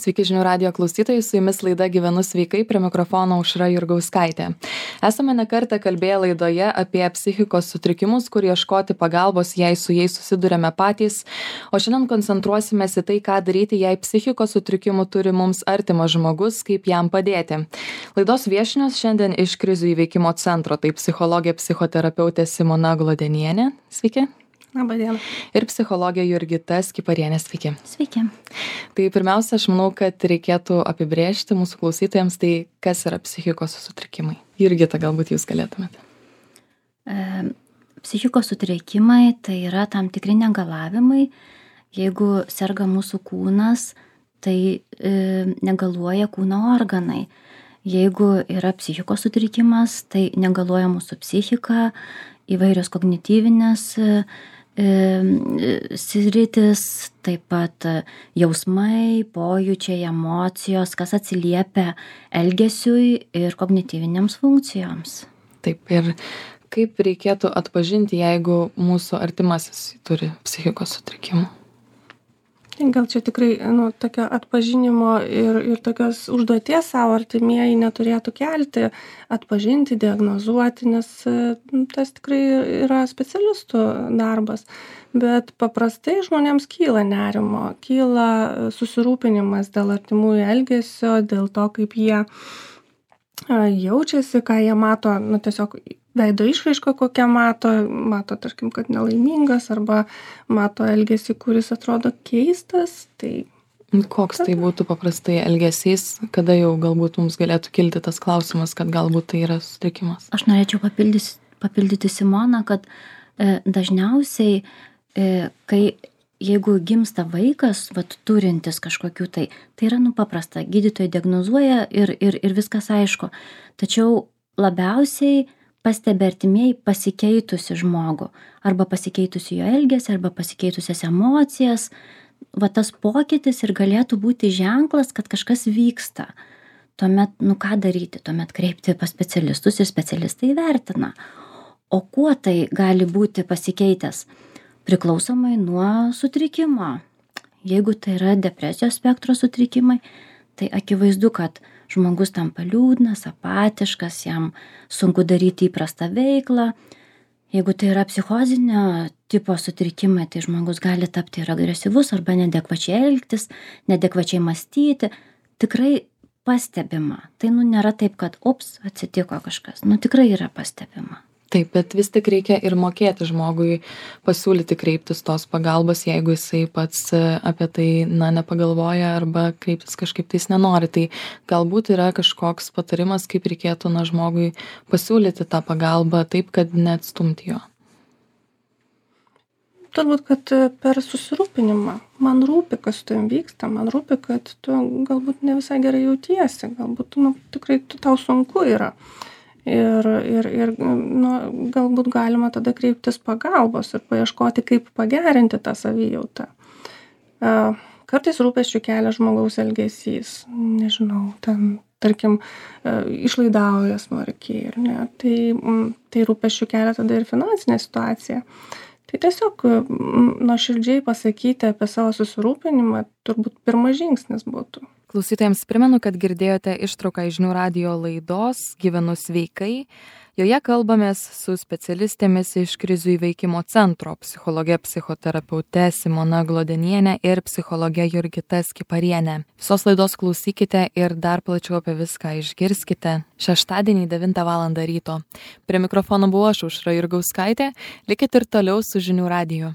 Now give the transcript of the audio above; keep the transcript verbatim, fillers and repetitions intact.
Sveiki žinių radijo klausytojai, su jumis laida Gyvenu sveikai, prie mikrofono Aušra Jurgauskaitė. Esame ne kartą kalbėję laidoje apie psichikos sutrikimus, kur ieškoti pagalbos, jei su jais susidurėme patys, o šiandien koncentruosimės į tai, ką daryti, jei psichikos sutrikimų turi mums artimas žmogus, kaip jam padėti. Laidos viešnios šiandien iš krizių įveikimo centro, tai psichologė psichoterapeutė Simona Glodenienė. Sveiki. Labą dieną. Ir psichologė Jurgita Skiparienė. Sveiki. Sveiki. Tai pirmiausia, aš manau, kad reikėtų apibrėžti mūsų klausytojams, tai kas yra psichikos sutrikimai. Jurgita, galbūt jūs galėtumėte. E, psichikos sutrikimai tai yra tam tikri negalavimai. Jeigu serga mūsų kūnas, tai e, negaluoja kūno organai. Jeigu yra psichikos sutrikimas, tai negaluoja mūsų psichika, įvairios kognityvinės e, sritis, taip pat jausmai, pojūčiai, emocijos, kas atsiliepia elgesiui ir kognityvinėms funkcijoms. Taip, ir kaip reikėtų atpažinti, jeigu mūsų artimasis turi psichikos sutrikimų? Gal čia tikrai nu, tokio atpažinimo ir, ir tokios užduoties savo artimieji neturėtų kelti, atpažinti, diagnozuoti, nes nu, tas tikrai yra specialistų darbas. Bet paprastai žmonėms kyla nerimo, kyla susirūpinimas dėl artimųjų elgesio, dėl to, kaip jie jaučiasi, ką jie mato, nu, tiesiog veido išraišką, kokią mato, mato, tarkim, kad nelaimingas, arba mato elgesį, kuris atrodo keistas. Tai koks tai būtų paprastai elgesys, kada jau galbūt mums galėtų kilti tas klausimas, kad galbūt tai yra sutrikimas? Aš norėčiau papildys, papildyti Simoną, kad e, dažniausiai, e, kai jeigu gimsta vaikas, vat, turintis kažkokių tai, tai yra nu paprasta, gydytojai diagnozuoja ir, ir, ir viskas aišku. Tačiau labiausiai pastebi artimieji pasikeitusi žmogų, arba pasikeitusi jo elgesį, arba pasikeitusias emocijas. Va tas pokytis ir galėtų būti ženklas, kad kažkas vyksta. Tuomet, nu ką daryti, tuomet kreipti pas specialistus ir specialistai vertina. O kuo tai gali būti pasikeitęs? Priklausomai nuo sutrikimo. Jeigu tai yra depresijos spektro sutrikimai, tai akivaizdu, kad žmogus tampa liūdnas, apatiškas, jam sunku daryti įprastą veiklą. Jeigu tai yra psichozinio tipo sutrikimai, tai žmogus gali tapti ir agresyvus arba neadekvačiai elgtis, neadekvačiai mąstyti. Tikrai pastebima. Tai nu nėra taip, kad ups, atsitiko kažkas. Nu tikrai yra pastebima. Taip, bet vis tik reikia ir mokėti žmogui pasiūlyti kreiptis tos pagalbos, jeigu jisai pats apie tai na, nepagalvoja arba kreiptis kažkaip tais nenori. Tai galbūt yra kažkoks patarimas, kaip reikėtų na, žmogui pasiūlyti tą pagalbą taip, kad neatstumti jo. Turbūt, kad per susirūpinimą. Man rūpi, kas tu jam vyksta, man rūpi, kad tu galbūt ne visai gerai jautiesi, galbūt nu, tikrai tau sunku yra. Ir, ir, ir nu, galbūt galima tada kreiptis pagalbos ir paieškoti, kaip pagerinti tą savijautą. Kartais rūpesčių kelia žmogaus elgesys, nežinau, ten, tarkim, išlaidauja smarkiai, ar ne, tai, tai rūpesčių kelia tada ir finansinė situacija. Tai tiesiog nuoširdžiai pasakyti apie savo susirūpinimą turbūt pirmas žingsnis būtų. Klausytojams primenu, kad girdėjote ištrauką iš žinių radijo laidos Gyvenu sveikai. Joje kalbamės su specialistėmis iš krizių įveikimo centro, psichologė psichoterapeute Simona Glodenienė ir psichologė Jurgita Skiparienė. Visos laidos klausykite ir dar plačiau apie viską išgirskite šeštadienį devintą valandą ryto. Prie mikrofono buvau aš, Aušra Jurgauskaitė. Likit ir toliau su žinių radiju.